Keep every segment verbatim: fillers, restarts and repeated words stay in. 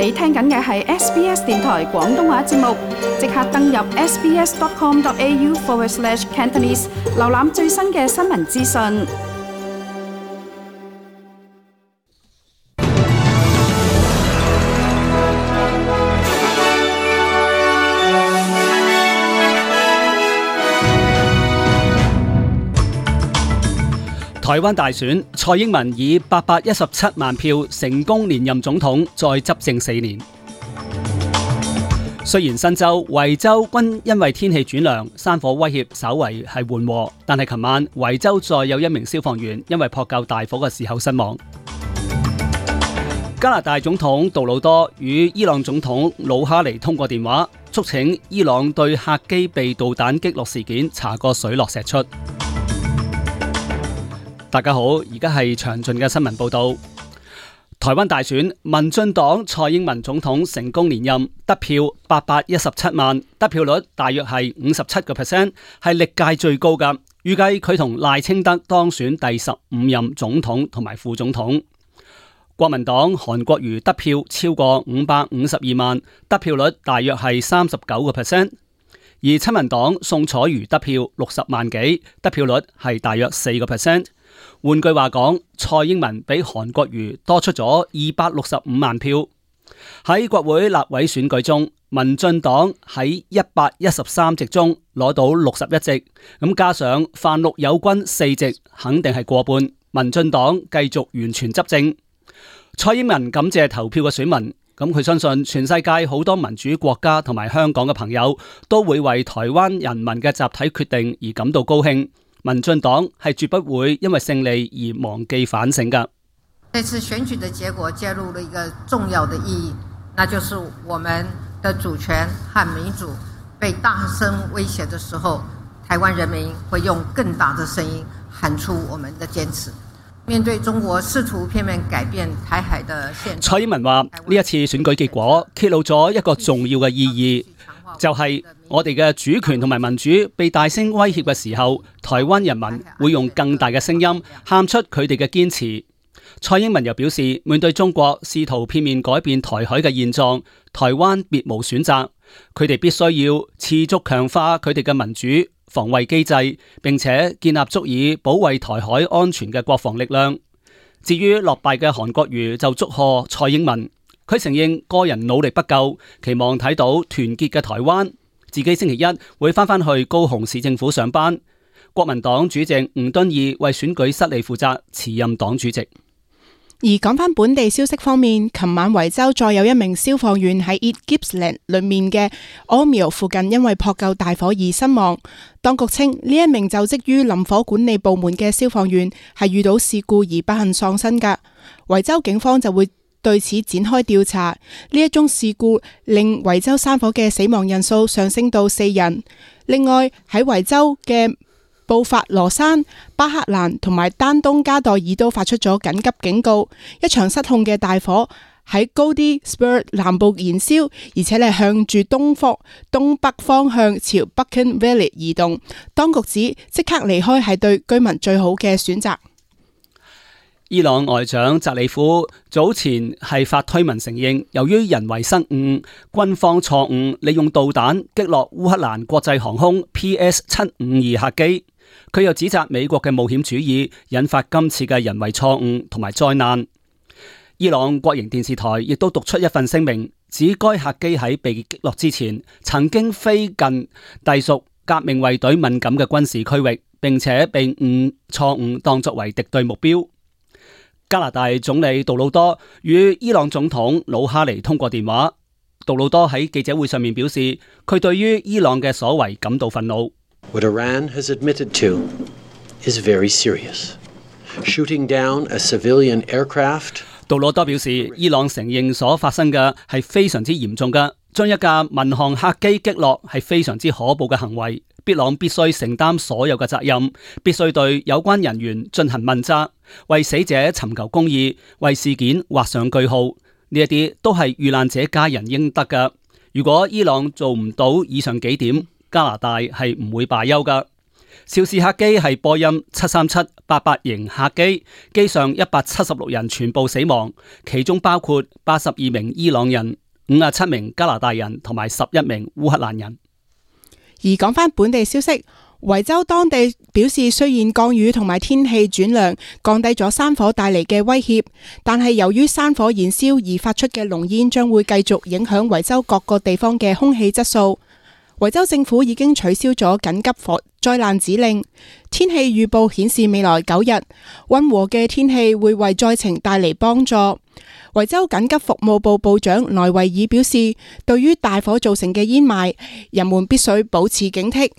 你聽緊嘅係 S B S 電台廣東話節目，即刻登入 sbs.com.au forward slash Cantonese， 瀏覽最新嘅新聞資訊。台灣大選，蔡英文以八百一十七萬票成功連任總統，再執政四年。雖然新州、維州均因為天氣轉涼，山火威脅稍為係緩和，但係琴晚維州再有一名消防員因為撲救大火嘅時候身亡。加拿大總統杜魯多與伊朗總統魯哈尼通過電話，促請伊朗對客機被導彈擊落事件查個水落石出。大家好，而家係詳盡嘅新聞報道。台灣大選，民進黨蔡英文總統成功連任，得票八百一十七萬，得票率大約係五十七個 percent， 係歷屆最高㗎。預計佢同賴清德當選第十五任總統同埋副總統。國民黨韓國瑜得票超過五百五十二萬，得票率大約係三十九個 percent。而親民黨宋楚瑜得票六十萬幾，得票率係大約四個 percent。換句話講，蔡英文比韓國瑜多出咗二百六十五萬票。喺國會立委選舉中，民進黨喺一百一十三席中攞到六十一席，咁加上泛綠有軍四席，肯定係過半。民進黨繼續完全執政。蔡英文感謝投票嘅選民，咁佢相信全世界好多民主國家同埋香港嘅朋友都會為台灣人民嘅集體決定而感到高興。民進黨係絕不會因為勝利而忘記反省㗎。這次選舉的結果揭露了一個重要的意義，那就是我們的主權和民主被大聲威脅的時候，台灣人民會用更大的聲音喊出我們的堅持。面對中國試圖片面改變台海的現狀，蔡英文話呢一次選舉結果揭露咗一個重要嘅意義，就係我哋嘅主權同埋民主被大聲威脅嘅時候，台灣人民會用更大嘅聲音喊出佢哋嘅堅持。蔡英文又表示，面對中國試圖片面改變台海嘅現狀，台灣別無選擇，佢哋必須要持續強化佢哋嘅民主防衛機制，並且建立足以保衛台海安全嘅國防力量。至於落敗嘅韓國瑜就祝賀蔡英文，佢承認個人努力不夠，期望睇到團結嘅台灣。自己星期一會返返去高雄市政府上班。國民黨主席吳敦義為選舉失利負責，辭任黨主席。而講返本地消息方面，琴晚維州再有一名消防員喺 East Gippsland 裏面嘅 Ormeau 附近因為撲救大火而身亡。當局稱呢一名就職於林火管理部門嘅消防員係遇到事故而不幸喪生㗎。維州警方就會對此展開調查。呢一宗事故令維州山火嘅死亡人數上升到四人。另外喺維州嘅布法羅山、巴克蘭同埋丹東加代爾都發出咗緊急警告。一場失控嘅大火喺高啲 Spur 南部燃燒，而且係向住東方東北方向朝 Buchan Valley 移動。當局指即刻離開係對居民最好嘅選擇。伊朗外長扎里夫早前係發推文承認，由於人為失誤，軍方錯誤利用導彈擊落烏克蘭國際航空 P S 七五二客機。佢又指責美國嘅冒險主義引發今次嘅人為錯誤同埋災難。伊朗國營電視台亦都讀出一份聲明，指該客機喺被擊落之前曾經飛近隸屬革命衛隊敏感嘅軍事區域，並且被誤錯誤當作為敵對目標。加拿大總理杜魯多與伊朗總統魯哈尼通過電話。杜魯多喺記者會上面表示，佢對於伊朗嘅所為感到憤怒。What Iran has admitted to is very serious. Shooting down a civilian aircraft. 杜魯多表示，伊朗承認所發生嘅係非常之嚴重嘅，將一架民航客機擊落係非常之可怖嘅行為。伊朗必須承擔所有嘅責任，必須對有關人員進行問責，為死者尋求公義，為事件畫上句號。呢一啲都係遇難者家人應得嘅。如果伊朗做唔到以上幾點，加拿大係唔會罷休噶。肇事客機係波音七三七八八型客機，機上一百七十六人全部死亡，其中包括八十二名伊朗人、五十七名加拿大人同埋十一名烏克蘭人。而講返本地消息，維州當地表示，雖然降雨同埋天氣轉涼降低咗山火帶嚟嘅威脅，但係由於山火燃燒而發出嘅濃煙將會繼續影響維州各個地方嘅空氣質素。維州政府已經取消咗緊急火災難指令。天氣預報顯示未來九日溫和嘅天氣會為災情帶嚟幫助。維州緊急服務部部長萊維爾表示，對於大火造成嘅煙霾，人們必須保持警惕。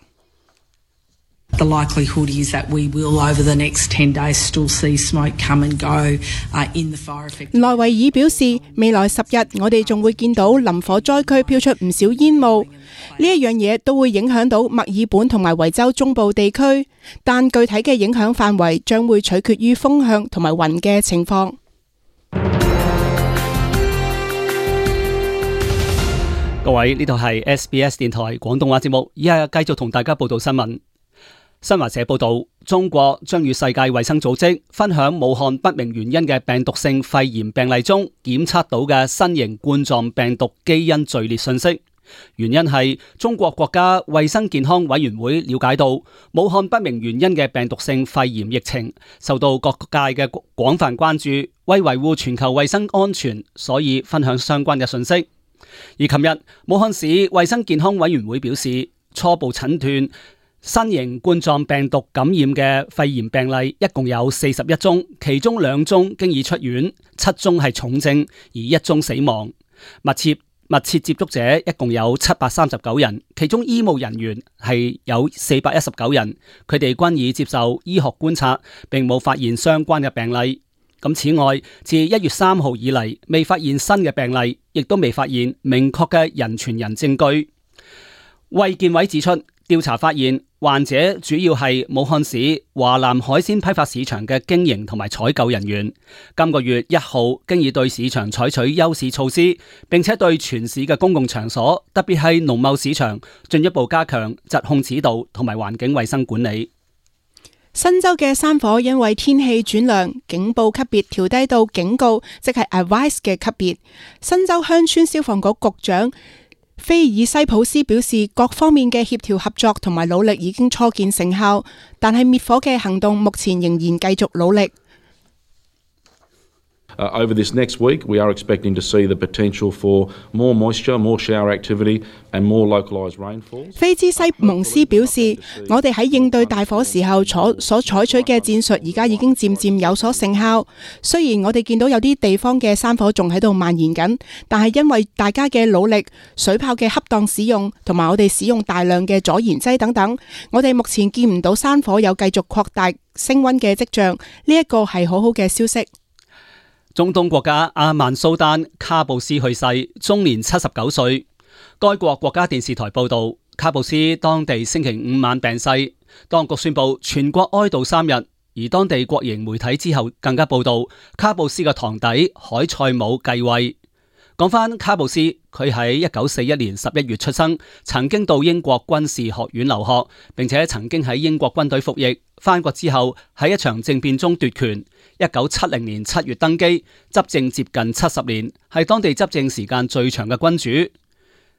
The likelihood is that we will over the next ten days still see smoke come and go in the fire affected. 萊維爾表示，未來十日我哋仲會見到林火災區飄出唔少煙霧，呢一樣嘢都會影響到墨爾本同埋維州中部地區，但具體嘅影響範圍將會取決於風向同埋雲嘅情況。各位，呢度係 S B S 電台廣東話節目，依家繼續同大家報道新聞。新華社報道，中國將與世界衛生組織分享武漢不明原因嘅病毒性肺炎病例中檢測到嘅新型冠狀病毒基因序列信息。原因係中國國家衛生健康委員會了解到，武漢不明原因嘅病毒性肺炎疫情受到各界嘅廣泛關注，為維護全球衛生安全，所以分享相關嘅信息。而琴日，武漢市衛生健康委員會表示，初步診斷新型冠狀病毒感染嘅肺炎病例一共有四十一宗，其中兩宗經已出院，七宗係重症，而一宗死亡。密切密切接觸者一共有七百三十九人，其中醫務人員係有四百一十九人，佢哋均已接受醫學觀察，並冇發現相關嘅病例。咁此外，自一月三號以嚟，未發現新嘅病例，亦都未發現明確嘅人傳人證據。衛健委指出，調查發現患者主要係武漢市華南海鮮批發市場嘅經營同埋採購人員。今個月一號經已對市場採取優勢措施，並且對全市嘅公共場所，特別係農貿市場，進一步加強疾控指導同埋環境衛生管理。新州嘅山火因為天氣轉涼，警報級別調低到警告，即係 advice 嘅級別。新州鄉村消防局局長菲爾西普斯表示，各方面嘅協調合作同埋努力已經初見成效，但係滅火嘅行動目前仍然繼續努力。Uh, over this next week, we are expecting to see the potential for more moisture, more shower activity and more localised rainfall. 菲茲西蒙斯表示，我哋喺應對大火時候所所採取嘅戰術而家已經漸漸有所成效。雖然我哋見到有啲地方嘅山火仲喺度蔓延緊，但係因為大家嘅努力、水炮嘅恰當使用同埋我哋使用大量嘅阻燃劑等等，我哋目前見唔到山火有繼續擴大升溫嘅跡象。呢一個係好好嘅消息。中東國家阿曼蘇丹卡布斯去世，終年七十九歲。該國國家電視台報道，卡布斯當地星期五晚病逝，當局宣布全國哀悼三日。而當地國營媒體之後更加報道，卡布斯嘅堂弟海塞姆繼位。講返卡布斯，佢喺一九四一年十一月出生，曾經到英國軍事學院留學，並且曾經喺英國軍隊服役。返國之後喺一場政變中奪權。一九七零年七月登基，執政接近七十年，係當地執政時間最長嘅君主。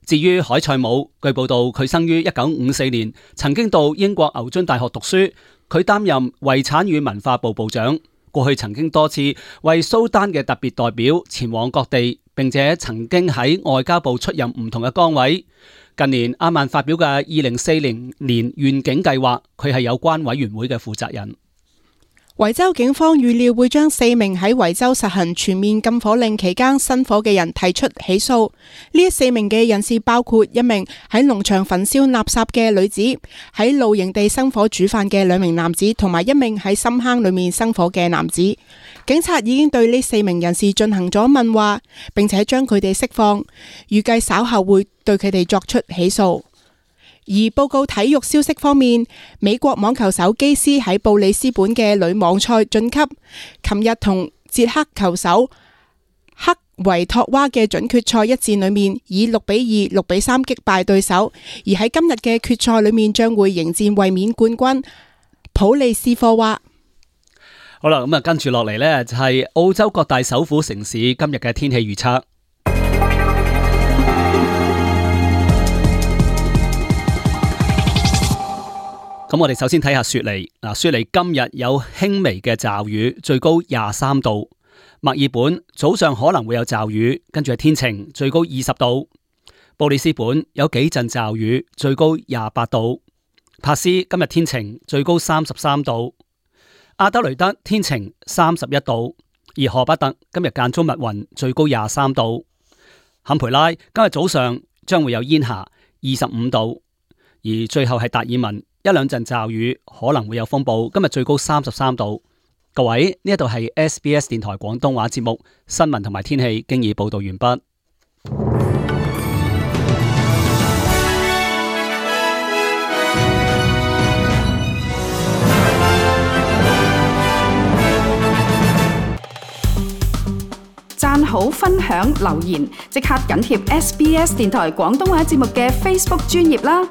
至於海塞姆，據報道佢生於一九五四年，曾經到英國牛津大學讀書。佢擔任遺產與文化部部長，過去曾經多次為蘇丹嘅特別代表前往各地，並且曾經喺外交部出任唔同嘅崗位。近年阿曼發表嘅二零四零年願景計劃，佢係有關委員會嘅負責人。維州警方預料會將四名喺維州實行全面禁火令期間生火嘅人提出起訴。呢四名嘅人士包括一名喺農場焚燒垃圾嘅女子，喺露營地生火煮飯嘅兩名男子，同埋一名喺深坑裏面生火嘅男子。警察已經對呢四名人士進行咗問話，並且將佢哋釋放，預計稍後會對佢哋作出起訴。而報告體育消息方面，美國網球手基斯喺布里斯本嘅女網賽晉級，琴日同捷克球手克維托娃嘅準決賽一戰裏面以六比二、六比三擊敗對手，而喺今日嘅決賽裏面將會迎戰衛冕冠軍普利斯科娃。好啦，咁啊跟住落嚟呢，就係澳洲各大首府城市今日嘅天氣預測。咁我哋首先睇下雪梨。嗱，雪梨今日有輕微嘅驟雨，最高廿三度。墨爾本早上可能會有驟雨，跟住係天晴，最高二十度。布里斯本有幾陣驟雨，最高廿八度。珀斯今日天晴，最高三十三度。阿德雷德天晴，三十一度。而荷伯特今日間中密雲，最高廿三度。坎培拉今日早上將會有煙霞，二十五度。而最後係達爾文，一兩陣驟雨，可能會有風暴，今日最高三十三度。各位，呢一度係 S B S 電台廣東話節目新聞同埋天氣，經已報道完畢。讚好、分享、留言，即刻緊貼 S B S 電台廣東話節目嘅 Facebook 專頁啦！